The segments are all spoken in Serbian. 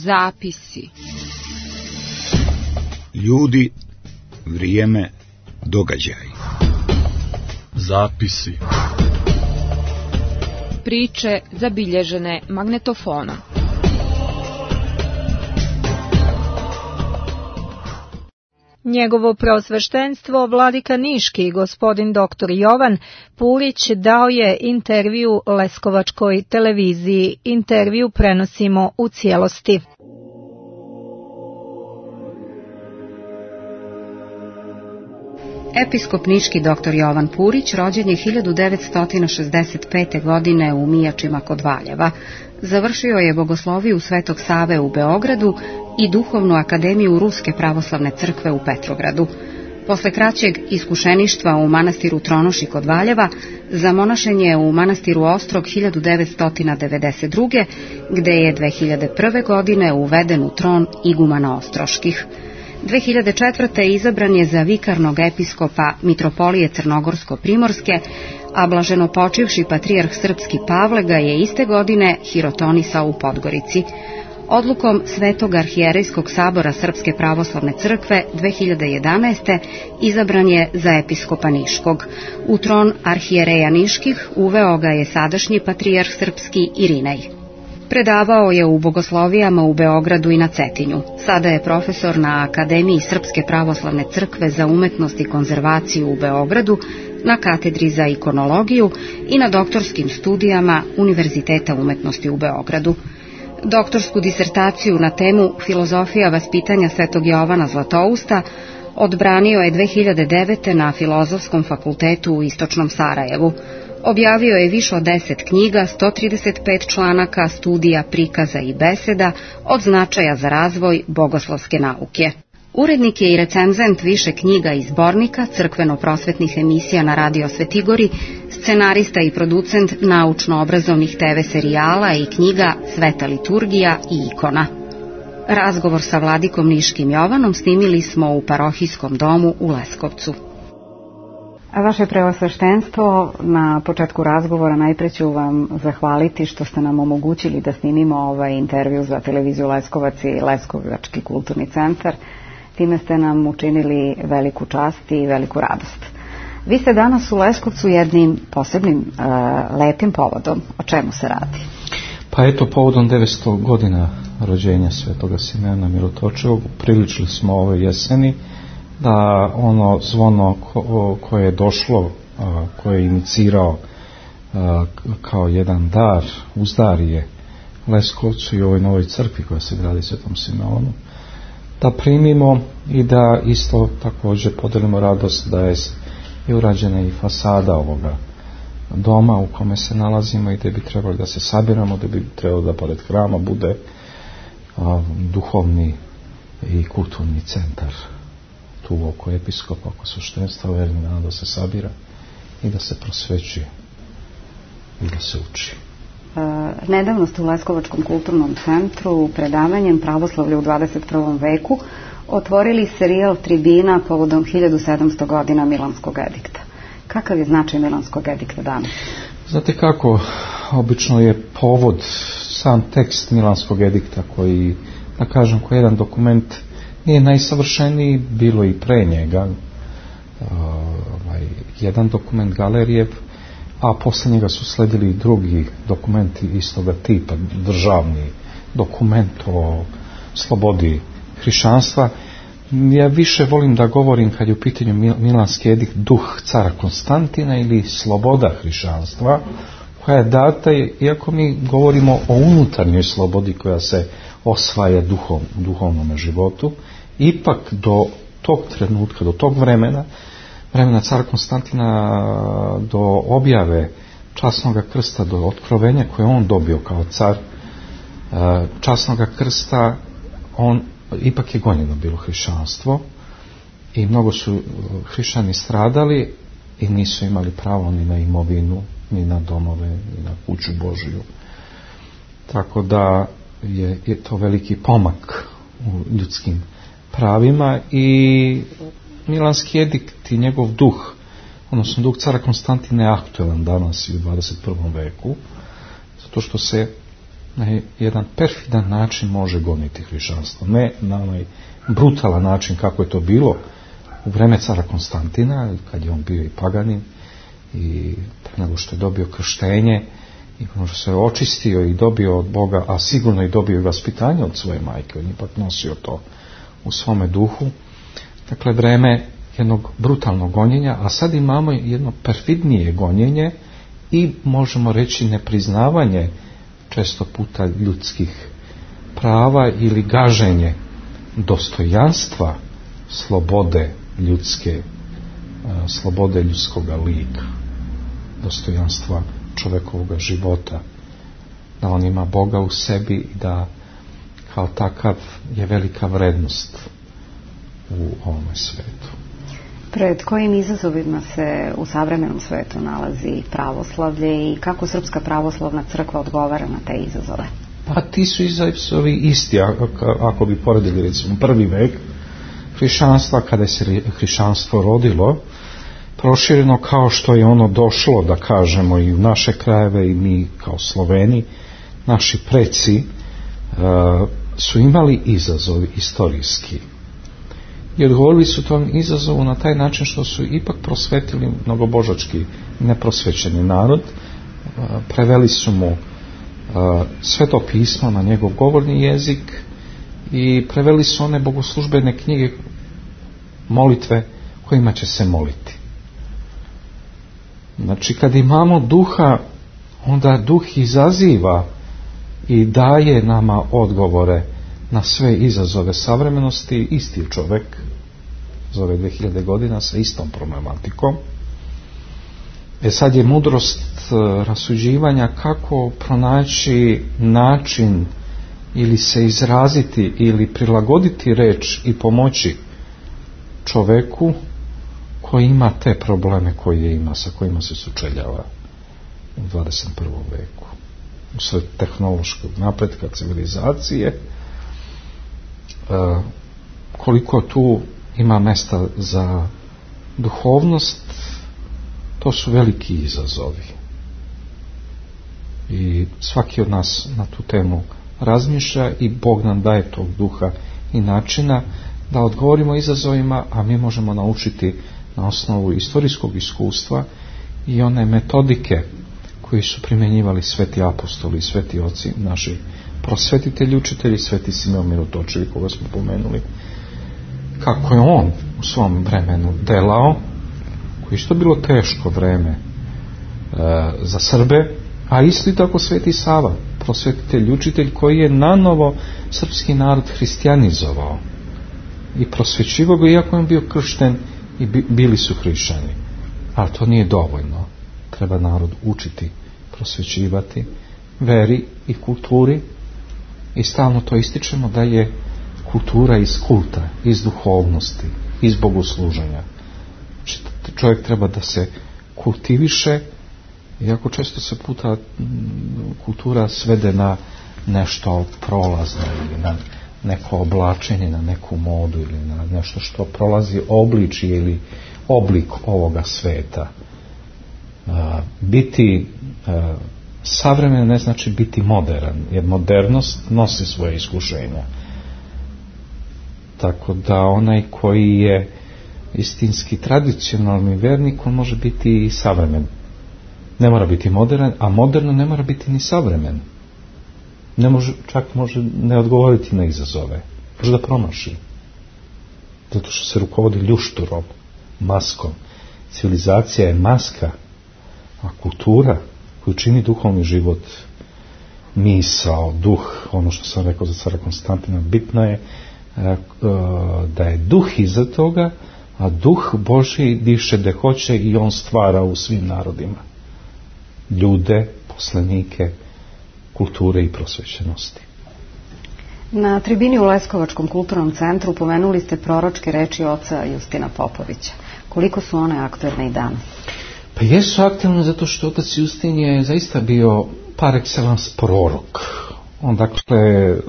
Zapisi. Ljudi, vrijeme, događaj. Zapisi. Priče zabilježene magnetofonom. Njegovo preosveštenstvo vladika Niški, gospodin dr. Jovan Purić, dao je intervju Leskovačkoj televiziji. Intervju prenosimo u cijelosti. Episkop niški dr. Jovan Purić rođen je 1965. godine u Mijačima kod Valjeva. Završio je bogosloviju Svetog Save u Beogradu i Duhovnu akademiju Ruske pravoslavne crkve u Petrogradu. Posle kraćeg iskušeništva u manastiru Tronoši kod Valjeva, zamonašen je u manastiru Ostrog 1992. gde je 2001. godine uveden u tron igumana ostroških. 2004. izabran je za vikarnog episkopa Mitropolije Crnogorsko-Primorske, a blaženopočivši patrijarh srpski Pavle ga je iste godine hirotonisao u Podgorici. Odlukom Svetog arhijerejskog sabora Srpske pravoslavne crkve 2011. izabran je za episkopa Niškog. U tron arhijereja Niških uveo ga je sadašnji patrijarh srpski Irinej. Predavao je u bogoslovijama u Beogradu i na Cetinju. Sada je profesor na Akademiji Srpske pravoslavne crkve za umetnost i konzervaciju u Beogradu, na katedri za ikonologiju i na doktorskim studijama Univerziteta umetnosti u Beogradu. Doktorsku disertaciju na temu Filozofija vaspitanja Svetog Jovana Zlatousta odbranio je 2009. na Filozofskom fakultetu u Istočnom Sarajevu. Objavio je više od 10 knjiga, 135 članaka, studija, prikaza i beseda od značaja za razvoj bogoslovske nauke. Urednik je i recenzent više knjiga i zbornika, crkveno-prosvetnih emisija na Radio Svetigori, scenarista i producent naučno-obrazovnih TV serijala i knjiga Sveta liturgija i ikona. Razgovor sa vladikom Niškim Jovanom snimili smo u parohijskom domu u Leskovcu. Vaše preosveštenstvo, na početku razgovora najpre ću vam zahvaliti što ste nam omogućili da snimimo ovaj intervju za televiziju Leskovac i Leskovački kulturni centar. Time ste nam učinili veliku čast i veliku radost. Vi ste danas u Leskovcu jednim posebnim lepim povodom. O čemu se radi? Pa eto, povodom 900 godina rođenja Svetoga Simeona Mirotočivog priličili smo ove jeseni da ono zvono koje je došlo, koje je inicirao kao jedan dar, uzdarije Leskovcu i ovoj novoj crkvi koja se gradi Svetom Simeonu, da primimo i da isto također podelimo radost da je urađena i fasada ovoga doma u kome se nalazimo i da bi trebali da se sabiramo, da bi trebalo da pored hrama bude duhovni i kulturni centar tu oko episkopa, oko sveštenstva, verni da se sabira i da se prosvećuje i da se uči. Nedavno ste u Leskovačkom kulturnom centru predavanjem Pravoslavlje u 21. veku otvorili serijal tribina povodom 1700 godina Milanskog edikta. Kakav je značaj Milanskog edikta danas? Znate kako, obično je povod sam tekst Milanskog edikta koji, da kažem, koji jedan dokument nije najsavršeniji, bilo i pre njega, jedan dokument Galerijev, a posle njega su sledili i drugi dokumenti istoga tipa, državni dokument o slobodi hrišćanstva. Ja više volim da govorim kad je u pitanju Milanski edikt duh cara Konstantina ili sloboda hrišćanstva, koja je data, iako mi govorimo o unutarnjoj slobodi koja se osvaja duhovnom životu, ipak do tog trenutka, do tog vremena cara Konstantina, do objave časnoga krsta, do otkrovenja koje on dobio kao car časnoga krsta, on ipak je gonjeno bilo hrišćanstvo i mnogo su hrišćani stradali i nisu imali pravo ni na imovinu, ni na domove, ni na kuću Božiju. Tako da je to veliki pomak u ljudskim pravima i Milanski edikt i njegov duh, odnosno duh cara Konstantina je aktuelan danas i u 21. veku, zato što se na jedan perfidan način može goniti hrišćanstvo. Ne na onaj brutalan način kako je to bilo u vreme cara Konstantina, kad je on bio i paganin i nego što je dobio krštenje i što se očistio i dobio od Boga, a sigurno i dobio i vaspitanje od svoje majke, on je ipak nosio to u svome duhu. Dakle, vreme jednog brutalnog gonjenja, a sad imamo jedno perfidnije gonjenje i možemo reći nepriznavanje često puta ljudskih prava ili gaženje dostojanstva slobode ljudske, slobode ljudskoga lika, dostojanstva čovjekovog života, da on ima Boga u sebi i da kao takav je velika vrednost u ovome svetu. Pred kojim izazovima se u savremenom svetu nalazi pravoslavlje i kako Srpska pravoslavna crkva odgovara na te izazove? Pa ti su izazovi isti, ako bi poredili recimo prvi vek hrišćanstva, kada se hrišćanstvo rodilo, prošireno kao što je ono došlo, da kažemo, i u naše krajeve, i mi kao Sloveni, naši preci su imali izazovi istorijski. I odgovorili su tom izazovu na taj način što su ipak prosvetili mnogobožački neprosvećeni narod, preveli su mu Sveto pismo na njegov govorni jezik i preveli su one bogoslužbene knjige, molitve kojima će se moliti. Znači, kad imamo duha, onda duh izaziva i daje nama odgovore na sve izazove savremenosti. Isti čovjek za ove 2000 godina sa istom problematikom. Sad je mudrost rasuđivanja kako pronaći način ili se izraziti ili prilagoditi reč i pomoći čovjeku koji ima te probleme koje ima, sa kojima se sučeljava u 21. veku. Usred tehnološkog napretka, civilizacije, koliko tu ima mesta za duhovnost, to su veliki izazovi. I svaki od nas na tu temu razmišlja i Bog nam daje tog duha i načina da odgovorimo izazovima, a mi možemo naučiti na osnovu istorijskog iskustva i one metodike koji su primjenjivali sveti apostoli i sveti oci, naši prosvetitelji, učitelji, sveti Simeon Mirotočevi, koga smo pomenuli, kako je on u svom vremenu delao, koji što bilo teško vreme za Srbe, a isto tako sveti Sava, prosvetitelj, učitelj, koji je nanovo srpski narod hristijanizovao i prosvećivao ga, iako je bio kršten i bili su hrišćani. Ali to nije dovoljno. Treba narod učiti, prosvećivati veri i kulturi, i stalno to ističemo da je kultura iz kulta, iz duhovnosti, iz bogosluženja. Znači, čovjek treba da se kultiviše, iako često se puta kultura svede na nešto prolazno ili na neko oblačenje, na neku modu ili na nešto što prolazi obličje ili oblik ovoga sveta. Biti savremen ne znači biti modern, jer modernost nosi svoje iskušenja. Tako da onaj koji je istinski tradicionalni vernik, on može biti i savremen. Ne mora biti modern, a moderno ne mora biti ni savremen. Ne može, čak može ne odgovoriti na izazove. Može da promaši. Zato što se rukovodi ljušturom, maskom. Civilizacija je maska, a kultura koju čini duhovni život, misao, duh, ono što sam rekao za cara Konstantina, bitno je da je duh iza toga, a duh Božji diše gde hoće i on stvara u svim narodima ljude, poslanike kulture i prosvećenosti. Na tribini u Leskovačkom kulturnom centru pomenuli ste proročke reči oca Justina Popovića. Koliko su one aktuelne i danas? Pa jesu aktuelne zato što otac Justin je zaista bio par excellence prorok.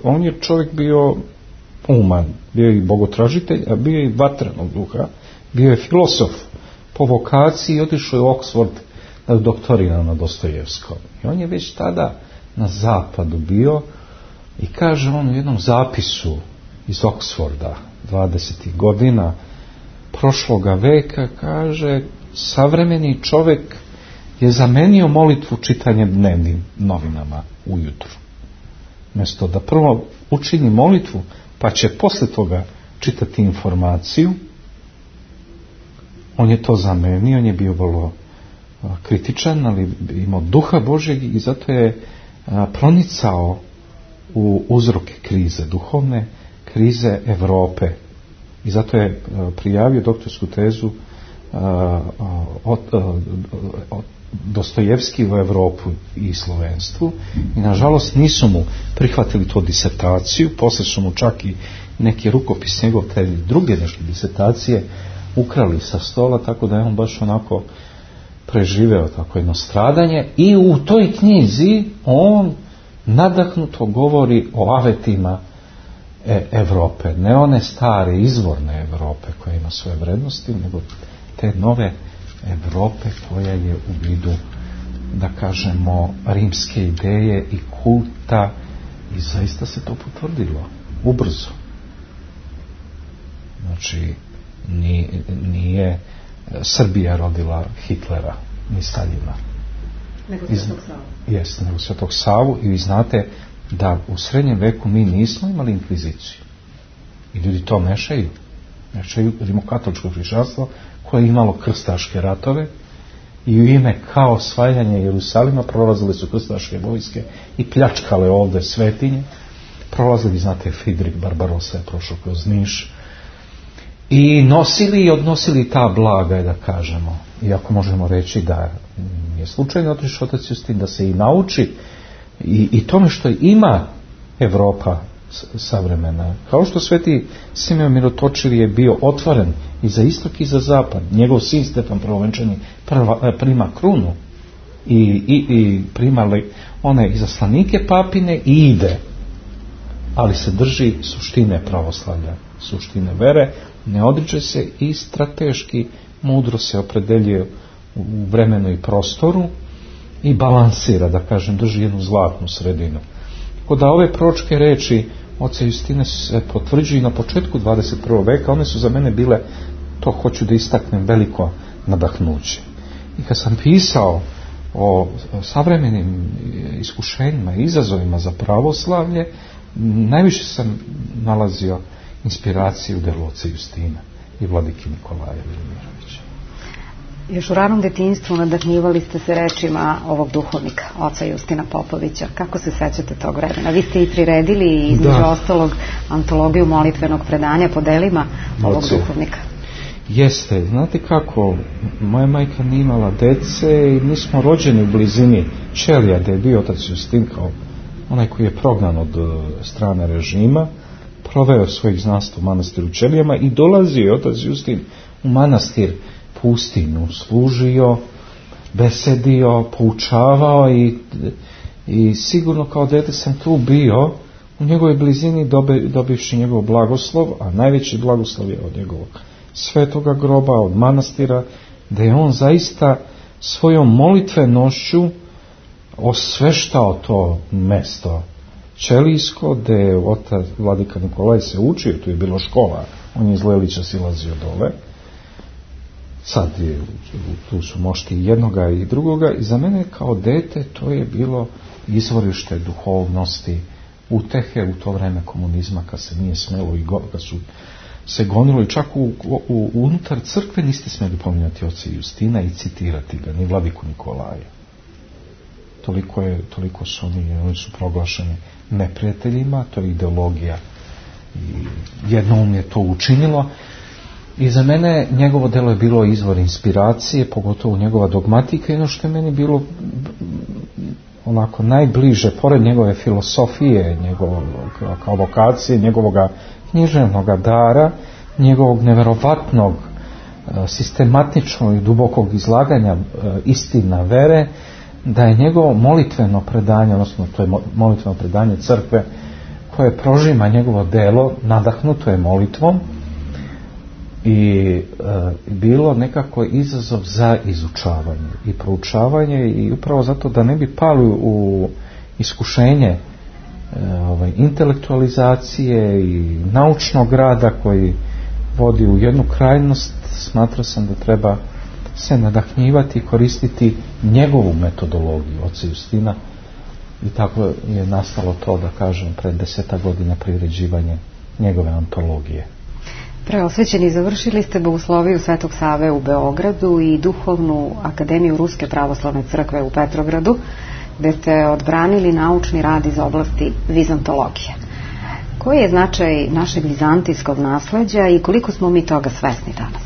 On je čovjek bio uman, bio je i bogotražitelj, a bio je i vatrenog duha, bio je filosof po vokaciji i otišao je u Oxford da doktorira na Dostojevskom. I on je već tada na zapadu bio i kaže on u jednom zapisu iz Oxforda 20. godina prošloga veka, kaže, savremeni čovjek je zamenio molitvu čitanjem dnevnim novinama ujutru. Mjesto da prvo učini molitvu, pa će posle toga čitati informaciju, on je to zamenio, on je bio vrlo kritičan, ali imao duha Božjeg i zato je pronicao u uzroke krize, duhovne krize Europe. I zato je prijavio doktorsku tezu Dostojevski u Europu i slovenstvu i nažalost nisu mu prihvatili tu disertaciju, poslije su mu čak i neki rukopis njegov te druge neke disertacije ukrali sa stola, tako da je on baš onako preživeo tako jedno stradanje i u toj knjizi on nadahnuto govori o avetima Europe, ne one stare izvorne Europe koja ima svoje vrednosti, nego te nove Europe koja je u vidu, da kažemo, rimske ideje i kulta, i zaista se to potvrdilo ubrzo. Znači nije Srbija rodila Hitlera ni Staljina, nego Svetog Savu. Jeste, nego Svetog Savu. I vi znate da u srednjem veku mi nismo imali inkviziciju i ljudi to mešaju rimokatoličko hrišćanstvo koje je imalo krstaške ratove i u ime kao osvajanja Jerusalima prolazile su krstaške vojske i pljačkale ovdje svetinje. Prolazili, znate, Fridrik Barbarossa je prošao kroz Niš i nosili i odnosili ta blaga, da kažemo, iako možemo reći da je slučajno otišao otac Justin da se i nauči i tome što ima Evropa savremena. Kao što sveti Simeon Mirotočivi je bio otvoren i za istok i za zapad. Njegov sin Stefan Prvovenčani prima krunu i prima one izaslanike papine i ide. Ali se drži suštine pravoslavlja, suštine vere, ne odriče se i strateški mudro se opredeljuje u vremenu i prostoru i balansira, da kažem, drži jednu zlatnu sredinu. Tako da ove proročke reči oca Justina se potvrđuju na početku 21. veka, one su za mene bile, to hoću da istaknem, veliko nadahnuće. I kad sam pisao o savremenim iskušenjima i izazovima za pravoslavlje, najviše sam nalazio inspiraciju u delu oca Justina i vladike Nikolaja Velimirovića. Još u ranom detinjstvu nadahnjivali ste se rečima ovog duhovnika, oca Justina Popovića. Kako se sećate tog vremena? Vi ste i priredili između ostalog antologiju molitvenog predanja po delima ovog duhovnika. Jeste, znate kako, moja majka nije imala dece i mi smo rođeni u blizini Ćelija, gdje je bio otac Justin kao onaj koji je prognan od strane režima, proveo svojih znanstava u manastiru Ćelijama i dolazio je otac Justin u manastir pustinju, služio, besedio, poučavao i sigurno kao dete sam tu bio u njegovoj blizini dobivši njegov blagoslov, a najveći blagoslov je od njegovog svetoga groba, od manastira, da je on zaista svojom molitvenošću osveštao to mesto Ćelijsko, gdje je otac vladika Nikolaj se učio, tu je bilo škola, on je iz Lelića silazio dole, sad je, tu su mošti jednoga i drugoga, i za mene kao dete to je bilo izvorište duhovnosti, utehe u to vreme komunizma, kad se nije smelo i kad su se gonilo, i čak unutar crkve niste smjeli pominjati oca Justina i citirati ga, ni vladiku Nikolaja. Toliko su oni su proglašeni neprijateljima, to je ideologija i jednoumlje to učinilo. I za mene njegovo delo je bilo izvor inspiracije, pogotovo njegova dogmatika, i ono što je meni bilo onako najbliže, pored njegove filosofije, njegovog kao vokacije, njegovog književnog dara, njegovog neverovatnog sistematičnog i dubokog izlaganja istina vere, da je njegovo molitveno predanje, odnosno to je molitveno predanje crkve koje prožima njegovo delo, nadahnuto je molitvom, i bilo nekako izazov za izučavanje i proučavanje, i upravo zato da ne bi pali u iskušenje intelektualizacije i naučnog rada koji vodi u jednu krajnost, smatrao sam da treba se nadahnjivati i koristiti njegovu metodologiju oca Justina, i tako je nastalo to, da kažem, pred 10 godina priređivanje njegove antologije. Preosvećeni, završili ste Bogosloviju Svetog Save u Beogradu i Duhovnu akademiju Ruske pravoslavne crkve u Petrogradu, gde ste odbranili naučni rad iz oblasti vizantologije. Koji je značaj našeg vizantijskog nasleđa i koliko smo mi toga svesni danas?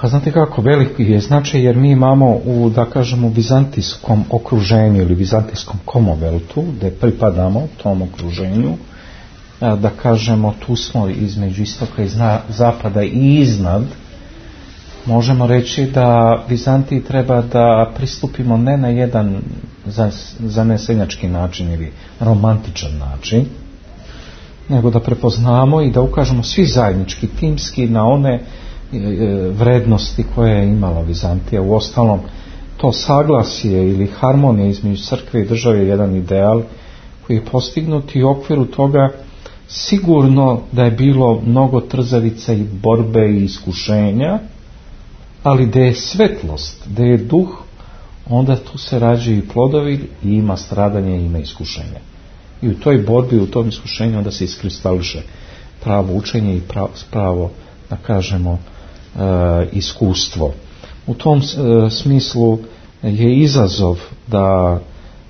Pa znate kako, veliki je značaj, jer mi imamo u, da kažemo, vizantijskom okruženju ili vizantijskom komoveltu, gde pripadamo tom okruženju, da kažemo, tu smo između istoka i zapada i iznad, možemo reći da Vizantiji treba da pristupimo ne na jedan zanesenjački način ili romantičan način, nego da prepoznamo i da ukažemo svi zajednički, timski, na one vrednosti koje je imala Vizantija. U ostalom, to saglasje ili harmonija između crkve i države je jedan ideal koji je postignut, i u okviru toga sigurno da je bilo mnogo trzavica i borbe i iskušenja, ali da je svetlost, da je duh, onda tu se rađaju i plodovi, i ima stradanje i ima iskušenja. I u toj borbi, u tom iskušenju onda se iskristališe pravo učenje i pravo, da kažemo, iskustvo. U tom smislu je izazov da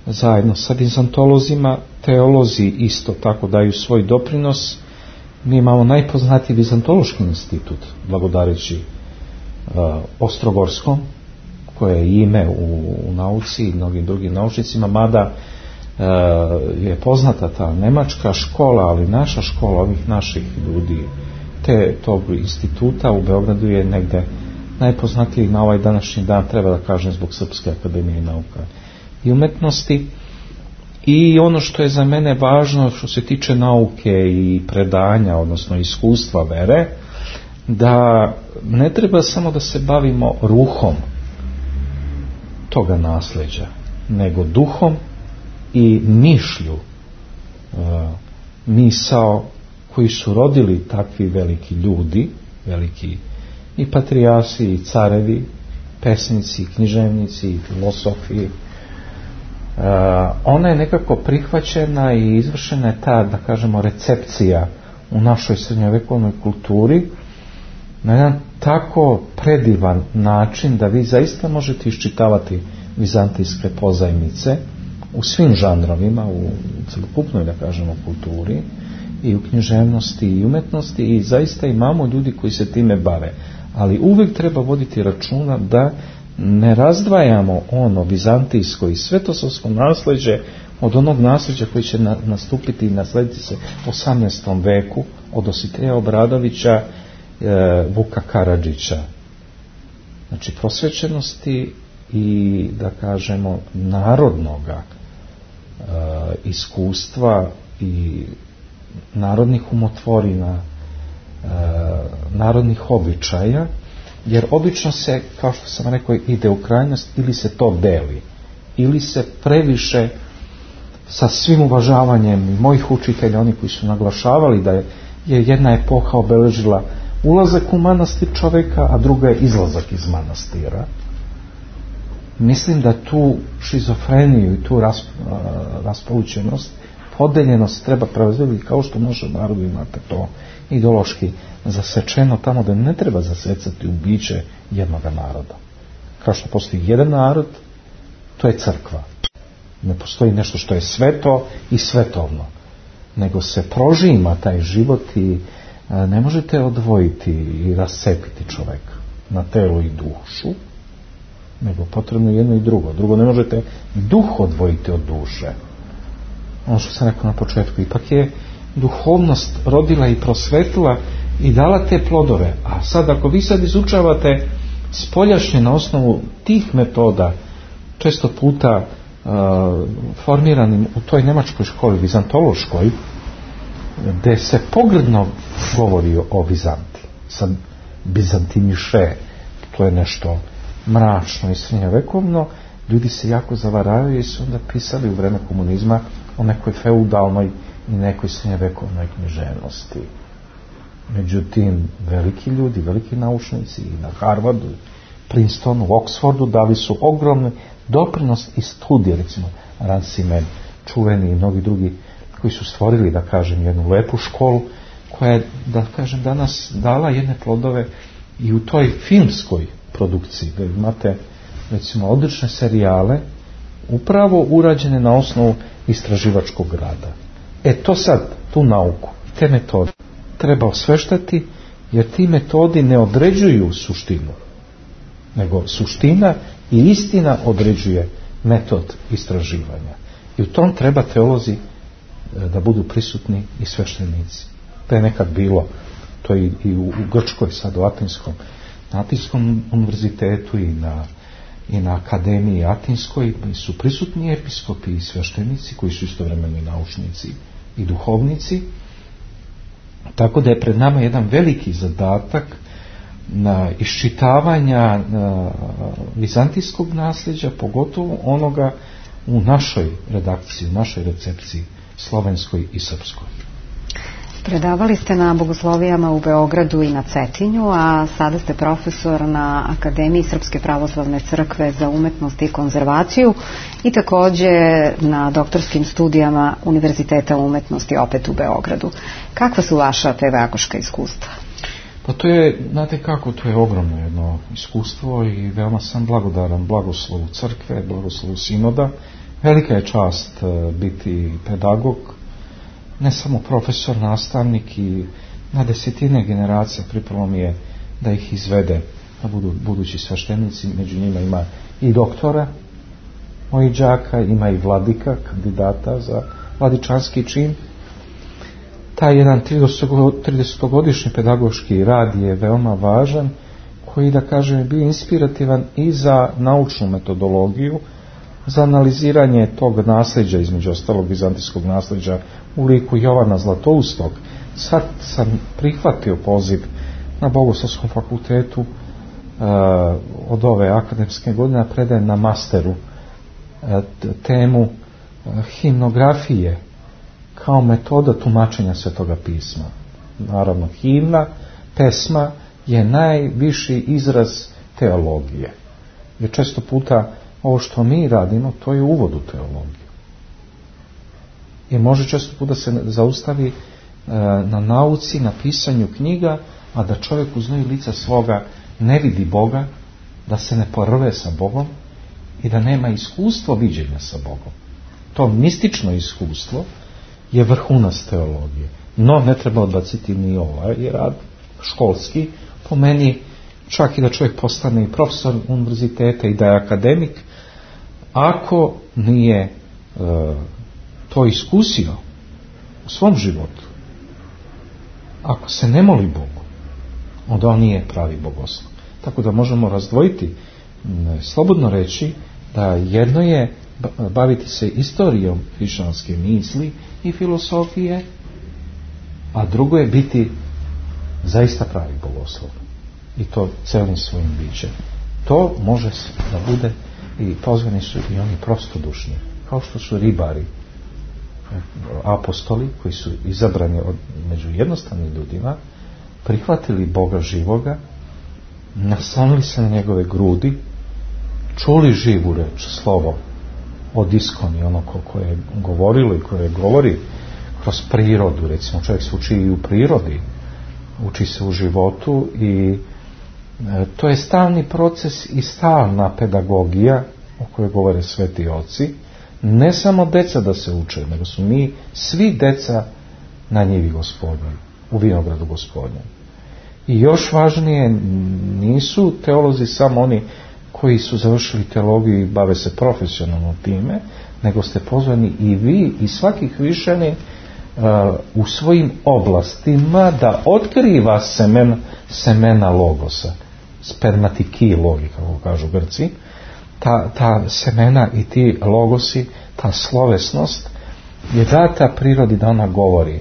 zajedno sa vizantolozima teolozi isto tako daju svoj doprinos. Mi imamo najpoznatiji vizantološki institut, blagodareći Ostrogorskom, koje je ime u nauci i mnogim drugim naučnicima, mada je poznata ta nemačka škola, ali naša škola ovih naših ljudi tog instituta u Beogradu je negde najpoznatiji na ovaj današnji dan, treba da kažem, zbog Srpske akademije nauka i umetnosti. I ono što je za mene važno što se tiče nauke i predanja, odnosno iskustva vere, da ne treba samo da se bavimo ruhom toga nasleđa, nego duhom i mišlju, misao koji su rodili takvi veliki ljudi, veliki i patrijasi, i carevi, pesnici, književnici, i filosofi. Ona je nekako prihvaćena i izvršena je ta, da kažemo, recepcija u našoj srednjovekovnoj kulturi na jedan tako predivan način da vi zaista možete iščitavati vizantijske pozajmice u svim žanrovima, u celokupnoj, da kažemo, kulturi, i u književnosti i umetnosti, i zaista imamo ljudi koji se time bave, ali uvijek treba voditi računa da ne razdvajamo ono vizantijsko i svetosavsko nasleđe od onog nasleđa koji će nastupiti i naslediti se u 18. veku od Dositeja Obradovića, Vuka Karadžića. Znači prosvećenosti i, da kažemo, narodnoga iskustva i narodnih umotvorina, narodnih običaja, jer obično se, kao što sam rekao, ide u krajnost, ili se to deli, ili se previše, sa svim uvažavanjem i mojih učitelja, oni koji su naglašavali da je jedna epoha obeležila ulazak u manastir čoveka, a druga je izlazak iz manastira. Mislim da tu šizofreniju i tu raspolućenost, podeljenost treba preuzeti, kao što može narodu imate to ideološki zasečeno tamo, da ne treba zasecati u biće jednog naroda. Kao što postoji jedan narod, to je crkva. Ne postoji nešto što je sveto i svetovno, nego se prožima taj život i ne možete odvojiti i rascepiti čoveka na telo i dušu, nego potrebno jedno i drugo. Drugo, ne možete duh odvojiti od duše. Ono što sam rekao na početku, ipak je duhovnost rodila i prosvetila i dala te plodove. A sad, ako vi sad izučavate spoljašnje na osnovu tih metoda, često puta formiranim u toj nemačkoj školi, vizantološkoj, gde se pogrdno govori o Vizanti, sad Bizantimiše, to je nešto mračno i srednjovekovno, ljudi se jako zavaravaju i su onda pisali u vreme komunizma o nekoj feudalnoj i nekoj srednjevekovnoj književnosti. Međutim, veliki ljudi, veliki naučnici i na Harvardu, Princetonu, Oxfordu dali su ogromni doprinos i studije, recimo Ranciman, čuveni i mnogi drugi koji su stvorili, da kažem, jednu lepu školu koja je, da kažem, danas dala jedne plodove i u toj filmskoj produkciji, da imate, recimo, odlične serijale upravo urađene na osnovu istraživačkog rada. To sad, tu nauku, te metode treba osveštati, jer ti metodi ne određuju suštinu, nego suština i istina određuje metod istraživanja. I u tom treba teolozi da budu prisutni i sveštenici. To je nekad bilo, to je i u Grčkoj, sad u na Atinskom univerzitetu i na akademiji Atinskoj su prisutni episkopi i sveštenici koji su istovremeno i naučnici i duhovnici. Tako da je pred nama jedan veliki zadatak na iščitavanja vizantijskog nasljeđa, pogotovo onoga u našoj redakciji, u našoj recepciji slovenskoj i srpskoj. Predavali ste na bogoslovijama u Beogradu i na Cetinju, a sada ste profesor na Akademiji Srpske pravoslavne crkve za umetnost i konzervaciju i takođe na doktorskim studijama Univerziteta umetnosti opet u Beogradu. Kakva su vaša pedagoška iskustva? Pa to je, znate kako, to je ogromno jedno iskustvo i veoma sam blagodaran blagoslovu crkve, blagoslovu sinoda. Velika je čast biti pedagog, ne samo profesor, nastavnik, i na desetine generacija pripalo mi je da ih izvede, da budu budući sveštenici. Među njima ima i doktora mojih đaka, ima i vladika, kandidata za vladičanski čin. Taj jedan 30-godišnji pedagoški rad je veoma važan, koji, da kažem, je bio inspirativan i za naučnu metodologiju, za analiziranje tog nasljeđa, između ostalog vizantijskog nasljeđa u liku Jovana Zlatoustog. Sad sam prihvatio poziv na Bogoslovskom fakultetu od ove akademske godine, predajem na masteru temu himnografije kao metoda tumačenja Svetoga pisma. Naravno, himna, pesma je najviši izraz teologije. Jer često puta ovo što mi radimo, to je uvod u teologiju. I može često puta se zaustavi na nauci, na pisanju knjiga, a da čovjek u znoju lica svoga ne vidi Boga, da se ne porve sa Bogom i da nema iskustvo viđenja sa Bogom. To mistično iskustvo je vrhunac teologije. No, ne treba odbaciti ni ovaj rad školski. Po meni, čak i da čovjek postane i profesor univerziteta i da je akademik, ako nije to iskusio u svom životu, ako se ne moli Bogu, onda on nije pravi bogoslov. Tako da možemo razdvojiti, slobodno reći, da jedno je baviti se istorijom hrišćanske misli i filosofije, a drugo je biti zaista pravi bogoslov. I to celim svojim bićem. To može da bude, i pozvani su i oni prostodušni, kao što su ribari, apostoli koji su izabrani među jednostavnim ljudima, prihvatili Boga živoga, naslonili se na njegove grudi, čuli živu reč, slovo od iskoni, ono koje je govorilo i koje govori kroz prirodu. Recimo, čovjek se uči i u prirodi, uči se u životu, i to je stalni proces i stalna pedagogija o kojoj govore sveti oci. Ne samo deca da se uče, nego su mi svi deca na njivi Gospodnjoj, u vinogradu Gospodnjem. I još važnije, nisu teolozi samo oni koji su završili teologiju i bave se profesionalno time, nego ste pozvani i vi i svaki hrišćanin u svojim oblastima da otkriva semena logosa, spermatiki logi, kako kažu Grci. Ta semena i ti logosi, ta slovesnost je data prirodi da ona govori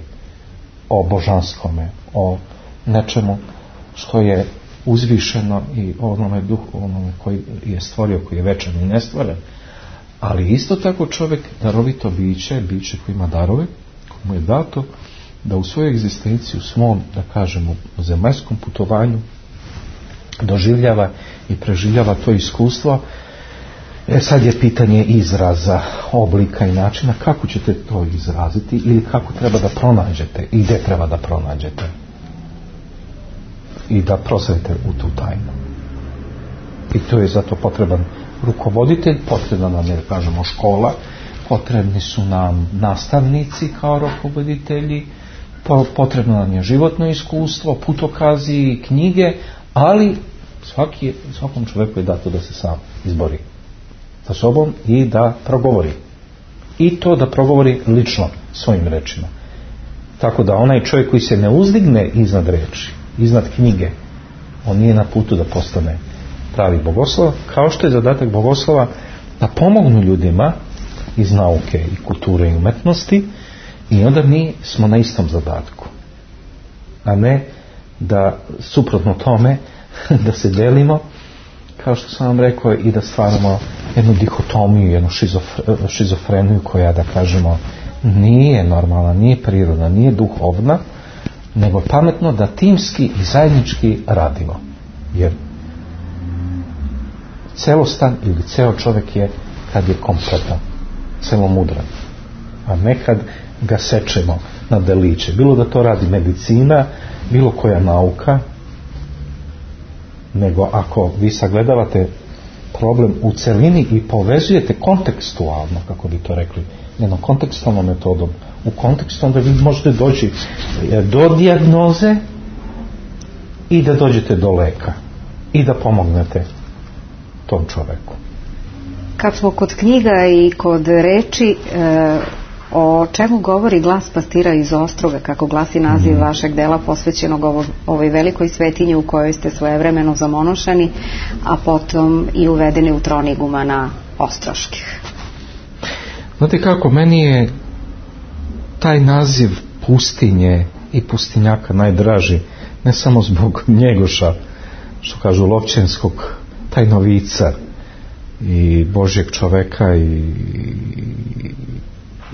o božanskome, o nečemu što je uzvišeno i onome duhu, onome koji je stvorio, koji je večan i nestvoren, ali isto tako čovjek darovito biće koji ima darove, koji mu je dato da u svojoj egzistenciji, u svom, da kažemo, zemaljskom putovanju doživljava i preživljava to iskustvo. Sad je pitanje izraza, oblika i načina kako ćete to izraziti ili kako treba da pronađete i gdje treba da pronađete i da prosvedite u tu tajnu. I to je zato potreban rukovoditelj, potrebna nam je, da kažemo, škola, potrebni su nam nastavnici kao rukovoditelji, potrebno nam je životno iskustvo, putokazi, knjige, ali svakom čovjeku je dato da se sam izbori sa sobom i da progovori. I to da progovori lično svojim rečima. Tako da onaj čovjek koji se ne uzdigne iznad reči, iznad knjige, on nije na putu da postane pravi bogoslov, kao što je zadatak bogoslova da pomognu ljudima iz nauke i kulture i umetnosti, i onda mi smo na istom zadatku, a ne da suprotno tome da se delimo, kao što sam vam rekao, i da stvaramo jednu dihotomiju, jednu šizofreniju koja, da kažemo, nije normalna, nije prirodna, nije duhovna, nego pametno da timski i zajednički radimo. Jer celostan ili ceo čovjek je kad je kompletan, celomudran, a ne kad ga sečemo na deliće. Bilo da to radi medicina, bilo koja nauka, nego ako vi sagledavate problem u celini i povezujete kontekstualno, kako bi to rekli, jednom kontekstualnom metodom, u kontekstu, onda vi možete doći do dijagnoze i da dođete do leka i da pomognete tom čoveku. Kad smo kod knjiga i kod reči, o čemu govori Glas pastira iz Ostroga, kako glasi naziv vašeg dela posvećenog ovoj velikoj svetinji u kojoj ste svojevremeno zamonošani, a potom i uvedeni u tron igumana Ostroških? Znate kako, meni je taj naziv pustinje i pustinjaka najdraži, ne samo zbog Njegoša, što kažu Lovćenskog tajnovica i Božjeg čoveka i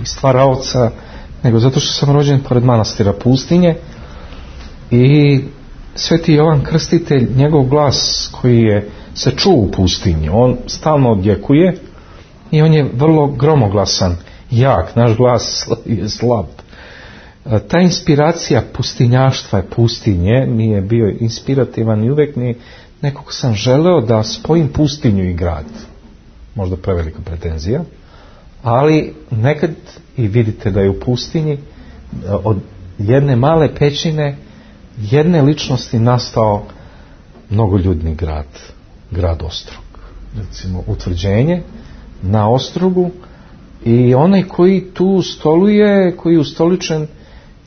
stvaraoca, nego zato što sam rođen pored manastira Pustinje i Sveti Jovan Krstitelj, njegov glas koji se čuo u pustinji, on stalno odjekuje i on je vrlo gromoglasan, jak, naš glas je slab. Ta inspiracija pustinjaštva i pustinje mi je bio inspirativan i uvek mi nekog sam želeo da spojim pustinju i grad. Možda prevelika pretenzija, ali nekad i vidite da je u pustinji od jedne male pećine, jedne ličnosti nastao mnogoljudni grad Ostrog. Recimo utvrđenje na Ostrogu i onaj koji tu stoluje, koji je ustoličen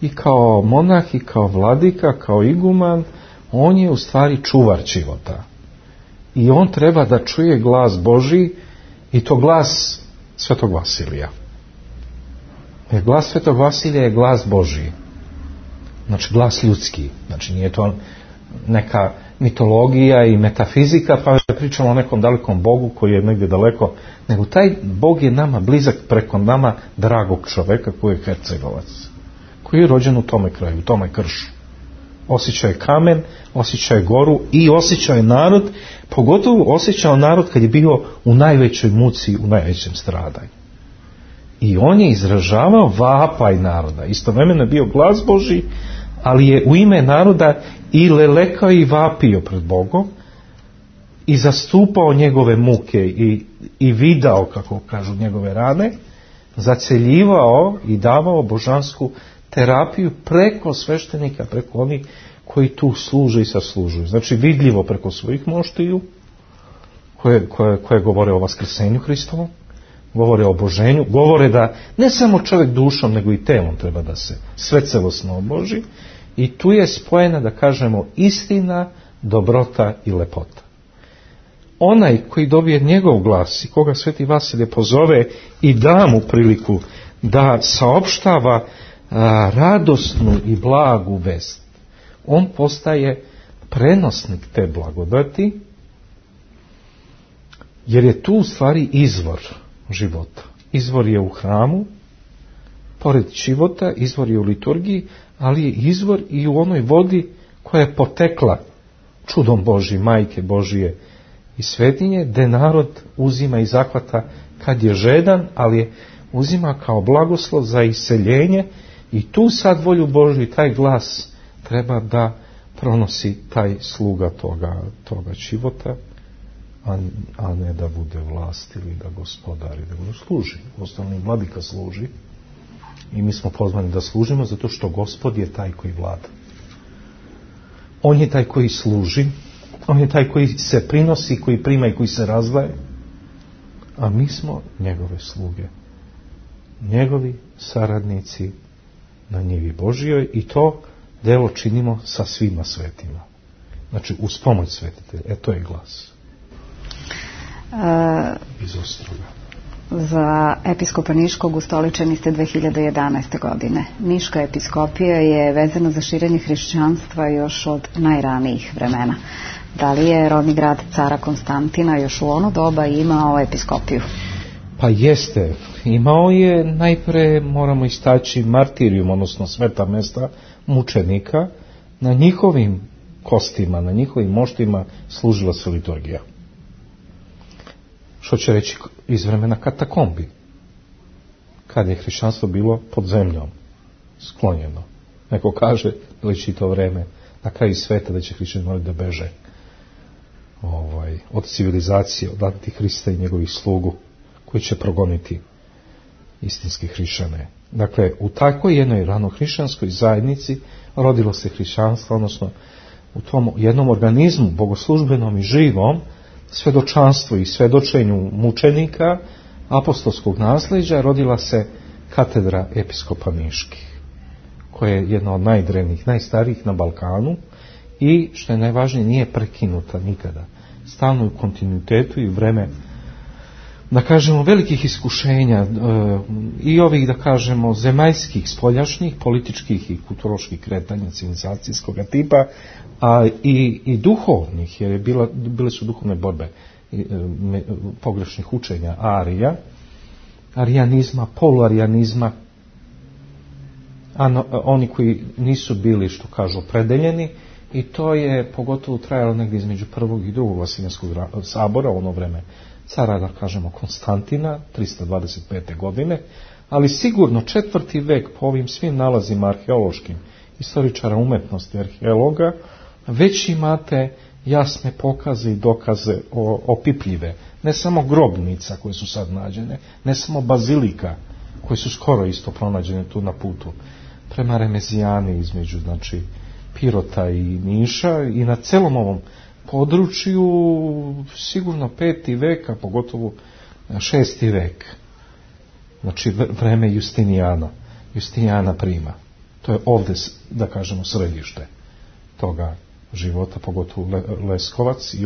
i kao monah i kao vladika, kao iguman, on je u stvari čuvar života. I on treba da čuje glas Božji, i to glas Svetog Vasilija. Jer glas Svetog Vasilija je glas Božji. Znači glas ljudski. Znači nije to neka mitologija i metafizika, pa pričamo o nekom dalekom Bogu koji je negdje daleko, nego taj Bog je nama blizak preko nama dragog čoveka koji je Hercegovac, koji je rođen u tome kraju, u tome kršu. Osjećao je kamen, osjećao je goru i osjećao je narod, pogotovo osjećao narod kad je bio u najvećoj muci, u najvećem stradanju. I on je izražavao vapaj naroda. Istovremeno je bio glas Božji, ali je u ime naroda i lelekao i vapio pred Bogom i zastupao njegove muke i vidao, kako kažu, njegove rane, zaceljivao i davao božansku terapiju preko sveštenika, preko onih koji tu služe i saslužuju. Znači vidljivo preko svojih moštiju koje govore o vaskrsenju Hristovom, govore o oboženju, govore da ne samo čovjek dušom nego i telom treba da se sve celosno oboži, i tu je spojena, da kažemo, istina, dobrota i lepota. Onaj koji dobije njegov glas i koga Sveti Vasilije pozove i da mu priliku da saopštava radosnu i blagu vest, on postaje prenosnik te blagodati, jer je tu u stvari izvor života. Izvor je u hramu, pored života, izvor je u liturgiji, ali je izvor i u onoj vodi koja je potekla čudom Božji, Majke Božije i svetinje, gde narod uzima i zahvata kad je žedan, ali je uzima kao blagoslov za iseljenje, i tu sad volju Božju i taj glas treba da pronosi taj sluga toga života, a ne da bude vlast ili da gospodari, da mu služi. Osnovni vladika služi i mi smo pozvani da služimo zato što Gospod je taj koji vlada. On je taj koji služi, on je taj koji se prinosi, koji prima i koji se razdvaja, a mi smo njegove sluge, njegovi saradnici na njivi Božijoj, i to delo činimo sa svima svetima. Znači, uz pomoć svetitelja. To je glas. Iz Ostroga. Za episkopa Niškog ustoličeni ste 2011. godine. Niška episkopija je vezana za širenje hrišćanstva još od najranijih vremena. Da li je rodni grad cara Konstantina još u ono doba imao episkopiju? Pa jeste. Imao je, najpre moramo istaći martirijum, odnosno sveta mesta mučenika. Na njihovim kostima, na njihovim moštima služila se liturgija. Što će reći iz vremena katakombi, kad je hrišćanstvo bilo pod zemljom, sklonjeno. Neko kaže, liči to vreme, na kraju sveta, da će hrišćani morati da beže od civilizacije, od antihrista i njegovih slugu, koji će progoniti istinske hrišćane. Dakle, u takvoj jednoj ranohrišćanskoj zajednici rodilo se hrišćanstvo, odnosno u tom jednom organizmu, bogoslužbenom i živom, svedočanstvu i svedočenju mučenika apostolskog nasleđa, rodila se katedra episkopa Niških, koja je jedna od najdrevnijih, najstarijih na Balkanu i, što je najvažnije, nije prekinuta nikada. Stalno u kontinuitetu i vreme, da kažemo, velikih iskušenja i ovih, da kažemo, zemaljskih, spoljašnjih, političkih i kulturoloških kretanja civilizacijskog tipa, a i duhovnih, jer bile su duhovne borbe pogrešnih učenja Arija, arijanizma, poluarijanizma, oni koji nisu bili, što kažu, opredeljeni, i to je pogotovo trajalo negdje između prvog i drugog Vasiljanskog sabora, ono vreme cara, da kažemo, Konstantina, 325. godine, ali sigurno 4. vek po ovim svim nalazima arheološkim, istoričara umetnosti, arheologa, već imate jasne pokaze i dokaze opipljive. Ne samo grobnica koje su sad nađene, ne samo bazilika koje su skoro isto pronađene tu na putu prema Remezijani, između, znači, Pirota i Niša, i na celom ovom području sigurno 5. vek, a pogotovo 6. vek. Znači vreme Justinijana Prima. To je ovdje, da kažemo, središte toga života, pogotovo Leskovac i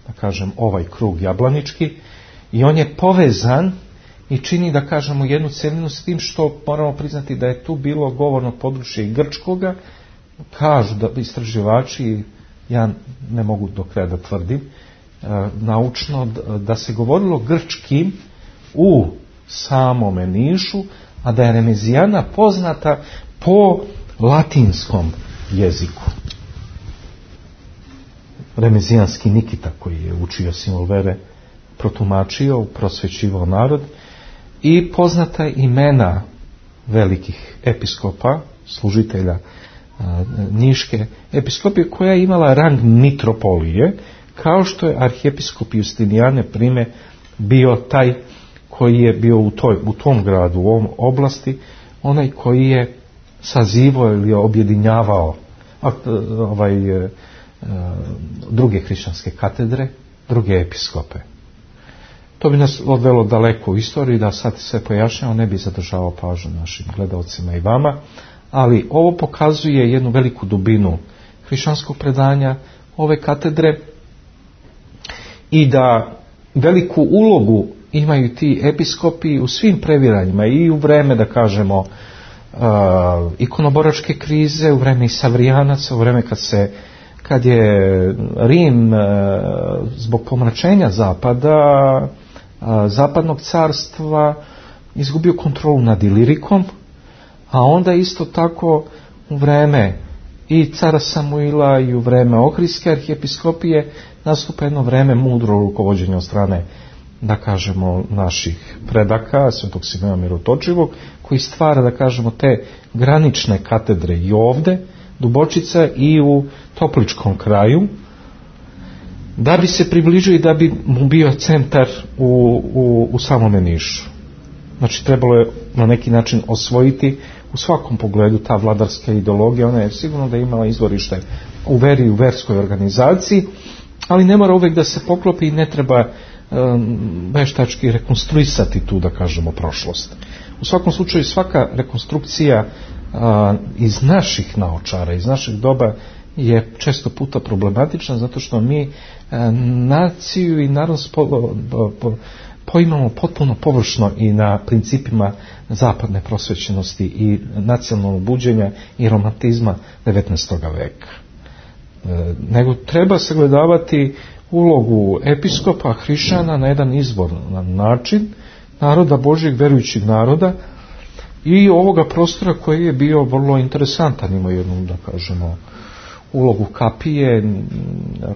da kažem, ovaj krug jablanički, i on je povezan i čini, da kažemo, jednu celinu s tim što moramo priznati da je tu bilo govorno područje i grčkoga. Kažu da istraživači, ja ne mogu do kraja da tvrdim, naučno, da se govorilo grčkim u samome Nišu, a da je Remezijana poznata po latinskom jeziku. Remezijanski Nikita, koji je učio simbol vere, protumačio, prosvećivao narod, i poznata imena velikih episkopa, služitelja Niške episkopije, koja je imala rang mitropolije, kao što je arhijepiskop Justinijane Prime bio taj koji je bio u tom gradu, u ovom oblasti, onaj koji je sazivao ili objedinjavao druge hrišćanske katedre, druge episkope. To bi nas odvelo daleko u istoriji, da sad sve pojašnjamo, ne bi zadržavao pažnju našim gledalcima i vama, ali ovo pokazuje jednu veliku dubinu hrišćanskog predanja ove katedre, i da veliku ulogu imaju ti episkopi u svim previranjima, i u vreme, da kažemo, ikonoboračke krize, u vreme i Savrijanaca, u vreme kad kad je Rim zbog pomračenja zapada, zapadnog carstva, izgubio kontrolu nad Ilirikom, a onda isto tako u vreme i cara Samuila i u vreme Ohridske arhijepiskopije nastupa jedno vreme mudro rukovođenja od strane, da kažemo, naših predaka, svetog Simeona Mirotočivog, koji stvara, da kažemo, te granične katedre i ovde, Dubočica i u Topličkom kraju, da bi se približio i da bi mu bio centar u samome Nišu. Znači, trebalo je na neki način osvojiti u svakom pogledu ta vladarska ideologija. Ona je sigurno da je imala izvorište u veri i u verskoj organizaciji, ali ne mora uvek da se poklopi i ne treba veštački rekonstruisati tu, da kažemo, prošlost. U svakom slučaju, svaka rekonstrukcija iz naših naočara, iz našeg doba je često puta problematična, zato što mi naciju i narod poimamo potpuno površno i na principima zapadne prosvećenosti i nacionalnog buđenja i romantizma 19. veka. Nego treba sagledavati ulogu episkopa, hrišćana na jedan izvoran način, naroda Božjeg, verujućeg naroda, i ovoga prostora koji je bio vrlo interesantan. Ima jednu, da kažemo, ulogu kapije,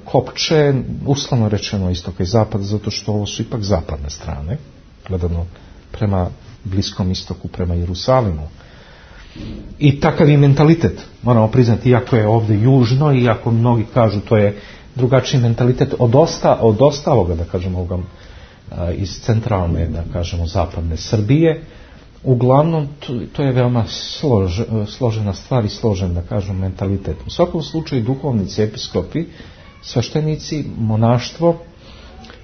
kopče, uslovno rečeno istoka i zapada, zato što ovo su ipak zapadne strane, gledano prema Bliskom istoku, prema Jerusalimu. I takav je mentalitet, moramo priznati, iako je ovdje južno, iako mnogi kažu to je drugačiji mentalitet od ostaloga, da kažemo, ovoga, iz centralne, da kažemo, zapadne Srbije. Uglavnom, to je veoma složena stvar i složen, da kažem, mentalitet. U svakom slučaju, duhovnici, episkopi, sveštenici, monaštvo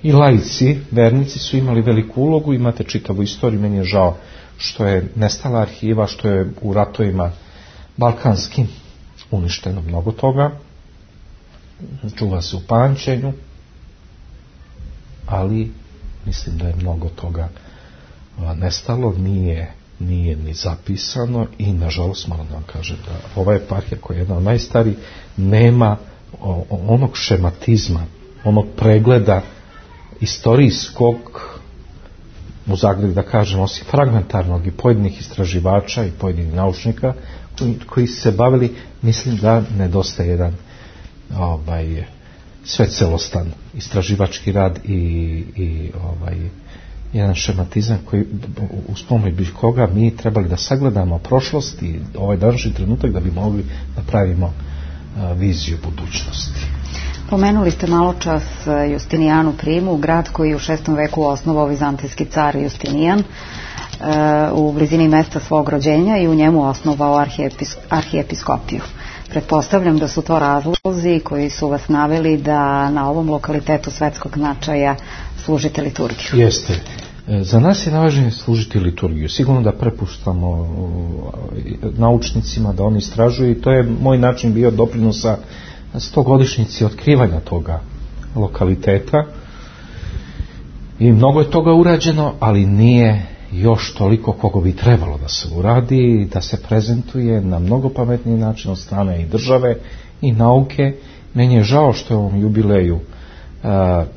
i laici, vernici su imali veliku ulogu. Imate čitavu istoriju, meni je žao što je nestala arhiva, što je u ratovima balkanskim uništeno mnogo toga, čuva se u pamćenju, ali mislim da je mnogo toga nestalo, nije ni zapisano i nažalost moram da vam kažem da ova eparhija, koja je jedna od najstarijih, nema onog šematizma, onog pregleda istorijskog, u zagradi da kažem, osim fragmentarnog, i pojedinih istraživača i pojedinih naučnika koji se bavili. Mislim da nedostaje jedan svecelostan istraživački rad i jedan šematizam koji, uz pomoć koga mi trebali da sagledamo prošlost i ovaj današnji trenutak da bi mogli da pravimo viziju budućnosti. Pomenuli ste malo čas Justinijanu Primu, grad koji je u 6. veku osnovao vizantijski car Justinijan u blizini mesta svog rođenja i u njemu osnovao arhijepiskopiju. Pretpostavljam da su to razlozi koji su vas naveli da na ovom lokalitetu svetskog značaja služite liturgiju. Jeste. Za nas je najvažnije služiti liturgiju. Sigurno da prepuštamo naučnicima da oni istražuju, i to je moj način bio doprinosa 100-godišnjici otkrivanja toga lokaliteta. I mnogo je toga urađeno, ali nije još toliko koliko bi trebalo da se uradi, da se prezentuje na mnogo pametniji način od strane i države i nauke. Meni je žao što je u ovom jubileju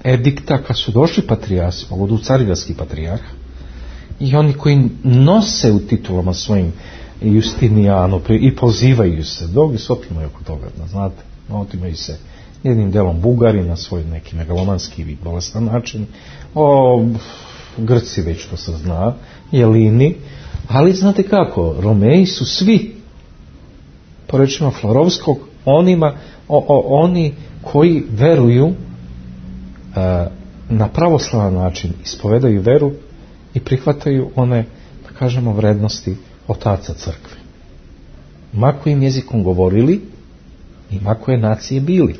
edikta, kad su došli patrijarsi, pogodu Carigradski patrijarh, i oni koji nose u titulama svojim Justinijanu i pozivaju se, drugi se otimaju oko toga, znate, otimaju se jednim delom Bugari na svoj neki megalomanski i bolestan način, Grci već to se zna, Jelini, ali znate kako, Romeji su svi, po rečima Florovskog, oni koji veruju na pravoslavan način, ispovedaju veru i prihvataju one, da kažemo, vrednosti otaca crkve. Ma kojim jezikom govorili i ma koje nacije bili.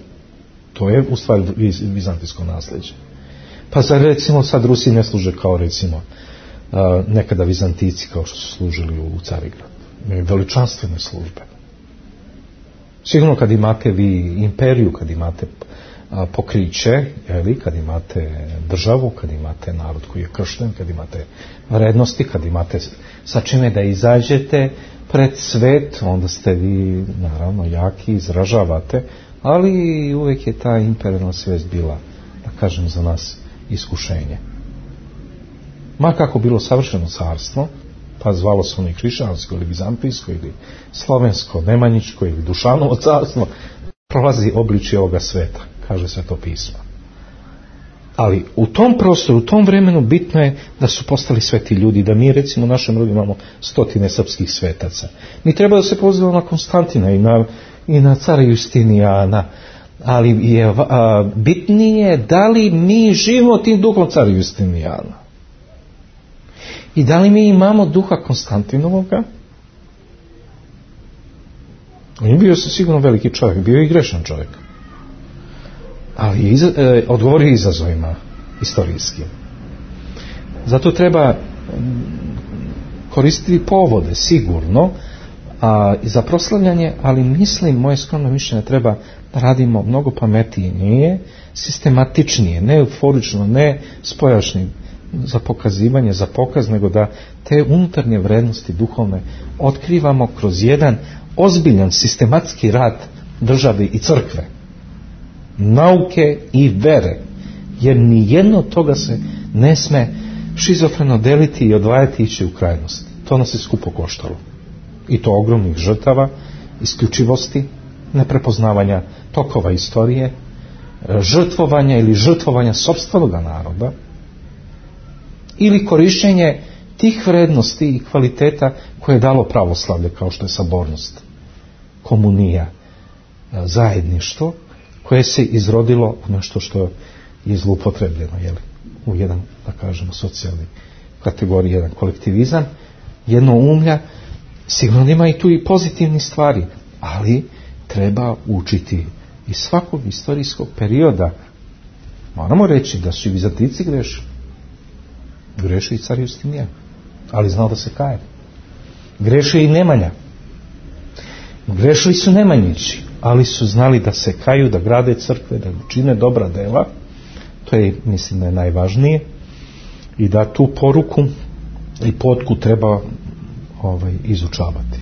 To je u stvari vizantijsko nasljeđe. Pa za recimo sad Rusi ne služe kao recimo nekada Vizantici kao što su služili u Carigradu. Imaju veličanstvene službe. Sigurno kad imate vi imperiju, kad imate pokriće, kad imate državu, kad imate narod koji je kršten, kad imate vrednosti, kad imate sa čime da izađete pred svet, onda ste vi naravno jaki, izražavate, ali uvijek je ta imperijalna svijest bila, da kažem, za nas iskušenje. Ma kako bilo savršeno carstvo, pa zvalo se ono i hrišćansko ili bizantijsko ili slovensko, nemanjičko ili Dušanovo carstvo, prolazi obličje ovoga sveta, kaže Sveto pismo. Ali u tom prostoru, u tom vremenu bitno je da su postali sveti ljudi, da mi recimo u našem rodu imamo 100 srpskih svetaca. Mi treba da se pozivamo na Konstantina i na cara Justinijana, ali je bitnije da li mi živimo tim duhom cara Justinijana. I da li mi imamo duha Konstantinovoga? On je bio sigurno veliki čovjek, bio je i grešan čovjek. Ali odgovorio izazovima istorijskim. Zato treba koristiti povode, sigurno, za proslavljanje, ali mislim, moje skromno mišljenje, treba da radimo mnogo pametnije, sistematičnije, ne euforično, ne spojašnje za pokazivanje, za pokaz, nego da te unutarnje vrednosti duhovne otkrivamo kroz jedan ozbiljan sistematski rad države i crkve, nauke i vere, jer ni jedno od toga se ne sme šizofreno deliti i odvajati i ići u krajnost. To nas je skupo koštalo. I to ogromnih žrtava, isključivosti, neprepoznavanja tokova istorije, žrtvovanja ili žrtvovanja sopstvenog naroda, ili korišćenje tih vrednosti i kvaliteta koje je dalo pravoslavlje, kao što je sabornost, komunija, zajedništvo, koje se izrodilo u nešto što je zloupotrebljeno, u jedan, da kažemo, socijalni kategoriji, jedan kolektivizam, jedno umlja. Sigurno ima i tu i pozitivni stvari, ali treba učiti iz svakog istorijskog perioda. Moramo reći da su i Vizantinci greši i car Justinijan, ali znao da se kaje. Greši i Nemanja. Grešili su Nemanjići, ali su znali da se kaju, da grade crkve, da čine dobra dela. To je, mislim, da je najvažnije, i da tu poruku i potku treba izučavati.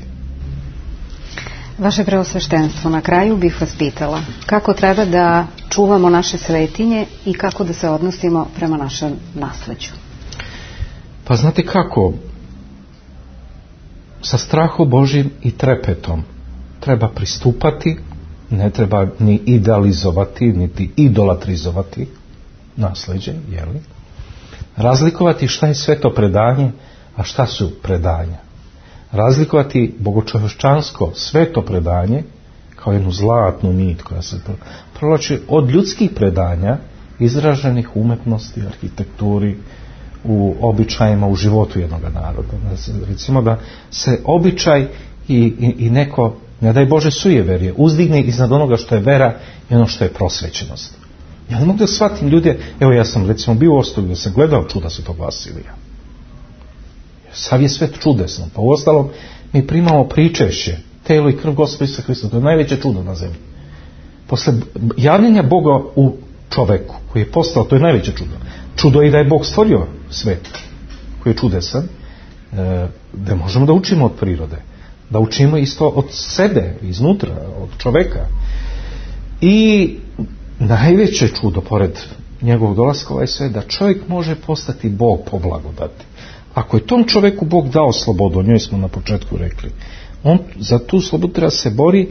Vaše preosveštenstvo, na kraju bih vas pitala kako treba da čuvamo naše svetinje i kako da se odnosimo prema našem nasleđu. Pa znate kako? Sa strahom Božjim i trepetom treba pristupati, ne treba ni idealizovati, niti idolatrizovati nasleđe, jeli? Razlikovati šta je sveto predanje, a šta su predanja. Razlikovati bogočovječansko sveto predanje kao jednu zlatnu nit koja se provlači od ljudskih predanja izraženih u umetnosti, arhitekturi, u običajima, u životu jednog naroda. Recimo da se običaj i neko, ne daj Bože, sujeverje uzdigne iznad onoga što je vera i ono što je prosvećenost. Ja ne mogu da shvatim ljude, evo ja sam recimo bio u Ostogu da sam gledao čuda Svetog Vasilija. Sav je svet čudesno, pa uostalom mi primamo pričešće, telo i krv Gospoda Isusa Hrista, to je najveće čudo na zemlji. Posle javljenja Boga u čoveku, koji je postao, to je najveće čudo. Čudo je i da je Bog stvorio svet, koji je čudesan, da možemo da učimo od prirode, da učimo isto od sebe, iznutra, od čoveka. I najveće čudo, pored njegovog dolaska ovaj svet, da čovjek može postati Bog po blagodati. Ako je tom čovjeku Bog dao slobodu, o njoj smo na početku rekli, on za tu slobodu treba se bori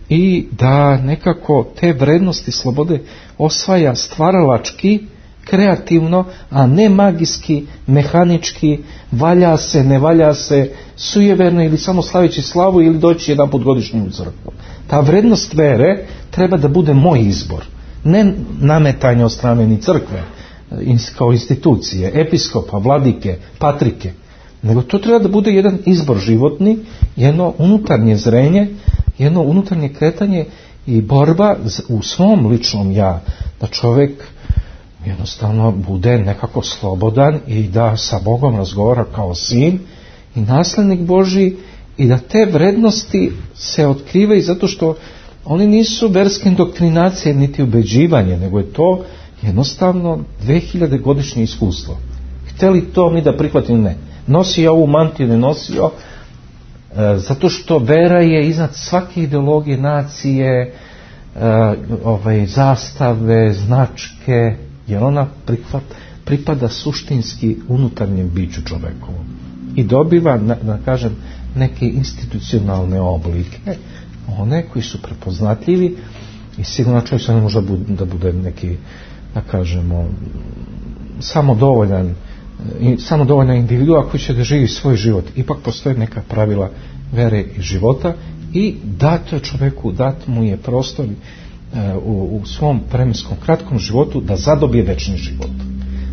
i da nekako te vrednosti slobode osvaja stvaralački, kreativno, a ne magijski, mehanički, valja se, ne valja se, sujeverno ili samo slaveći slavu ili doći jedan put godišnji u crkvu. Ta vrednost vere treba da bude moj izbor, ne nametanje od strane ni crkve kao institucije, episkopa, vladike, patrike, nego to treba da bude jedan izbor životni, jedno unutarnje zrenje, jedno unutarnje kretanje i borba u svom ličnom ja, da čovjek jednostavno bude nekako slobodan i da sa Bogom razgovara kao sin i naslednik Božji i da te vrednosti se otkrivaju zato što oni nisu verske indoktrinacije niti ubeđivanje, nego je to jednostavno 2000 godišnje iskustvo. Hteli to mi da prihvatimo? Ne. Nosi ovu mantiju, ne nosio, zato što vera je iznad svake ideologije, nacije, zastave, značke, jer ona pripada suštinski unutarnjem biću čovekovom i dobiva, da kažem, neke institucionalne oblike, one koji su prepoznatljivi i sigurno čovjek se ne može da bude neki, da kažemo, samodovoljna individua koji će da živi svoj život. Ipak postoje neka pravila vere i života i dato je čovjeku, dat mu je prostor u svom vremenskom kratkom životu da zadobije večni život.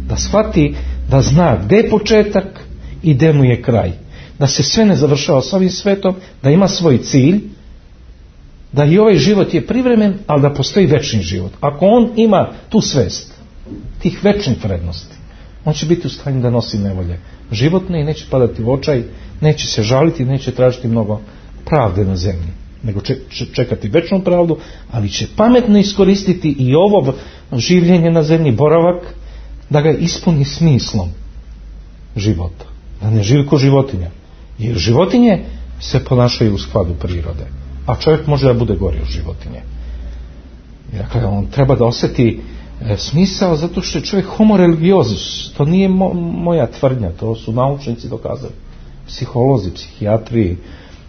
Da shvati, da zna gde je početak i gde mu je kraj. Da se sve ne završava s ovim svetom, da ima svoj cilj, da i ovaj život je privremen, ali da postoji večni život. Ako on ima tu svest, tih večnih vrednosti, on će biti u stanju da nosi nevolje životne i neće padati u očaj, neće se žaliti, neće tražiti mnogo pravde na zemlji, nego čekati večnu pravdu, ali će pametno iskoristiti i ovo življenje na zemlji, boravak, da ga ispuni smislom života. Da ne živi ko životinja. Jer životinje se ponašaju u skladu prirode, a čovjek može da bude gori od životinje. Dakle, on treba da osjeti smisao zato što je čovjek homo religiozus. To nije moja tvrdnja, to su naučnici dokazali. Psiholozi, psihijatri,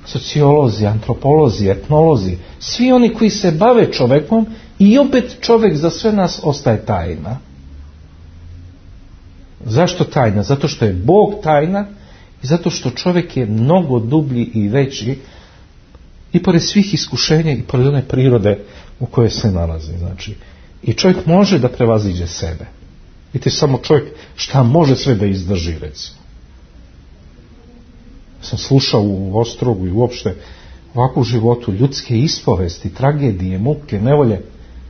sociolozi, antropolozi, etnolozi, svi oni koji se bave čovjekom i opet čovjek za sve nas ostaje tajna. Zašto tajna? Zato što je Bog tajna i zato što čovjek je mnogo dublji i veći i pored svih iskušenja i pored one prirode u kojoj se nalazi. Znači, i čovjek može da prevaziđe sebe. Vidite samo čovjek šta može sve da izdrži, recimo. Sam slušao u Ostrogu i uopšte ovako u životu ljudske ispovesti, tragedije, muke, nevolje,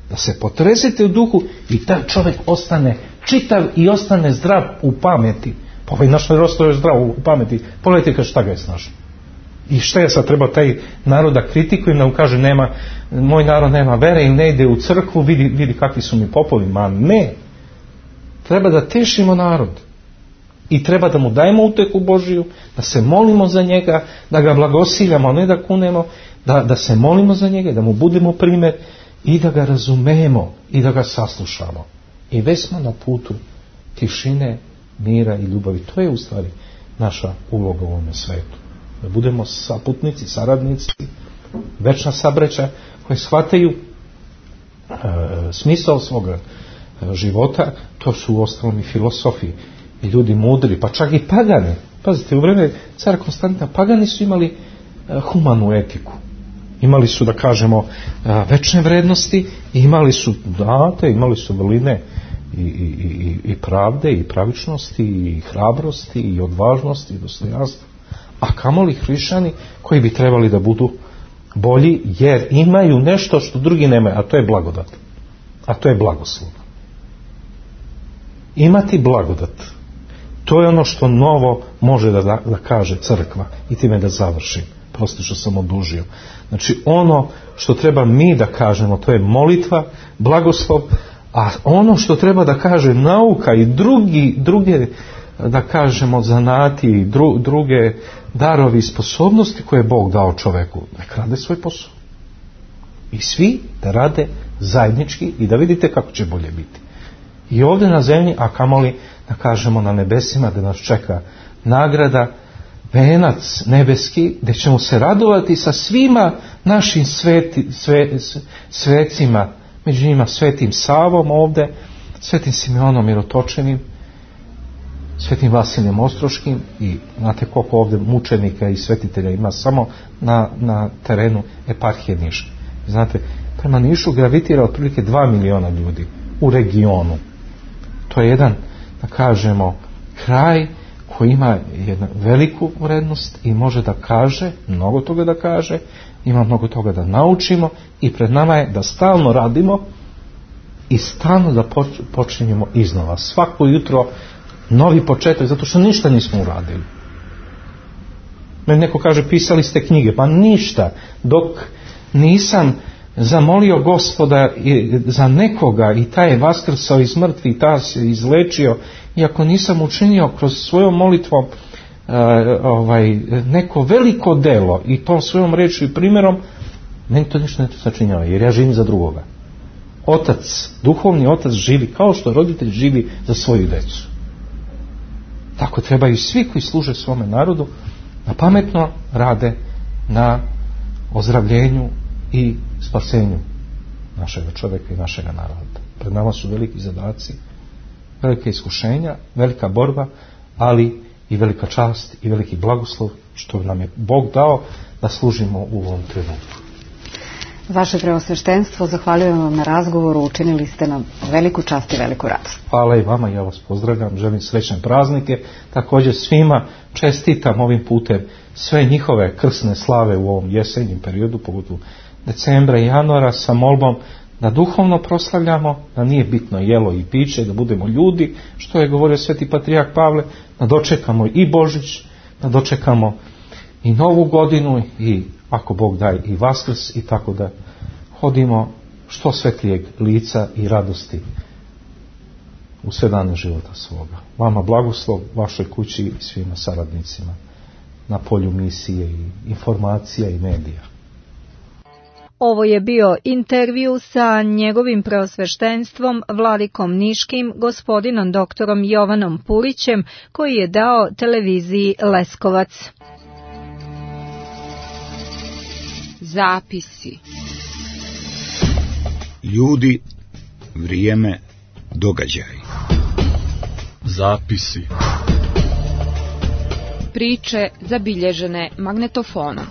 da se potresete u duhu i taj čovjek ostane čitav i ostane zdrav u pameti. Pa ovaj naš narod je zdrav u pameti. Pogledajte šta ga je snašao. I šta ja sad treba taj narod da kritikujem, da mu kaže moj narod nema vere ili ne ide u crkvu, vidi kakvi su mi popovi. Ma ne. Treba da tešimo narod. I treba da mu dajemo uteku Božiju, da se molimo za njega, da ga blagosiljamo, a ne da kunemo, da se molimo za njega, da mu budemo primjer i da ga razumemo i da ga saslušamo. I već smo na putu tišine, mira i ljubavi. To je u stvari naša uloga u ovome svetu. Da budemo saputnici, saradnici, večna sabraća koji shvataju smisao svoga života. To su uostalom i filosofi i ljudi mudri, pa čak i pagani. Pazite, u vreme cara Konstantina pagani su imali humanu etiku. Imali su, da kažemo, večne vrednosti, imali su date, imali su vrline i pravde, i pravičnosti, i hrabrosti, i odvažnosti, i dostojanstva. A kamoli hrišćani koji bi trebali da budu bolji, jer imaju nešto što drugi nemaju, a to je blagodat. A to je blagoslov. Imati blagodat. To je ono što novo može da kaže crkva. I time da završim. Prosto što sam odužio. Znači ono što treba mi da kažemo, to je molitva, blagoslov, a ono što treba da kaže nauka i druge, da kažemo, zanati i druge darovi i sposobnosti koje je Bog dao čoveku, nek rade svoj posao. I svi da rade zajednički i da vidite kako će bolje biti. I ovdje na zemlji, a kamoli, da kažemo, na nebesima, da nas čeka nagrada, venac nebeski, gdje ćemo se radovati sa svima našim svecima, među njima Svetim Savom ovdje, Svetim Simeonom Mirotočenim, Svetim Vasilijem Ostroškim, i znate koliko ovdje mučenika i svetitelja ima samo na terenu eparhije Niša. Znate, prema Nišu gravitira otprilike 2 miliona ljudi u regionu. To je jedan, da kažemo, kraj koji ima jednu veliku vrednost i može da kaže, mnogo toga da kaže, ima mnogo toga da naučimo i pred nama je da stalno radimo i stalno da počinjemo iznova. Svako jutro novi početak, zato što ništa nismo uradili. Meni neko kaže, pisali ste knjige, pa ništa, dok nisam zamolio Gospoda za nekoga i taj je vaskrsao iz mrtvih, taj se izlečio, i ako nisam učinio kroz svojom molitvom neko veliko delo i tom svojom rečju i primjerom, Meni to ništa ne sačinjava, jer ja živim za drugoga. Otac, duhovni otac živi kao što roditelj živi za svoju decu. Tako trebaju svi koji služe svome narodu da pametno rade na ozdravljenju i spasenju našega čovjeka i našega naroda. Pred nama su veliki zadaci, velike iskušenja, velika borba, ali i velika čast i veliki blagoslov što nam je Bog dao da služimo u ovom trenutku. Vaše preosveštenstvo, zahvaljujem vam na razgovoru, učinili ste nam veliku čast i veliku radost. Hvala i vama, ja vas pozdravljam, želim srećne praznike, također svima čestitam ovim putem sve njihove krsne slave u ovom jesenjem periodu, pogotovo decembra i januara, sa molbom da duhovno proslavljamo, da nije bitno jelo i piće, da budemo ljudi, što je govorio sveti patrijarh Pavle, da dočekamo i Božić, da dočekamo i Novu godinu i ako Bog daje i Vaskrs, i tako da hodimo što svetlijeg lica i radosti u sve dane života svoga. Vama blagoslov, vašoj kući i svima saradnicima na polju misije i informacija i medija. Ovo je bio intervju sa njegovim preosveštenstvom vladikom niškim gospodinom doktorom Jovanom Purićem koji je dao televiziji Leskovac. Zapisi. Ljudi, vrijeme, događaj. Zapisi. Priče zabilježene magnetofonom.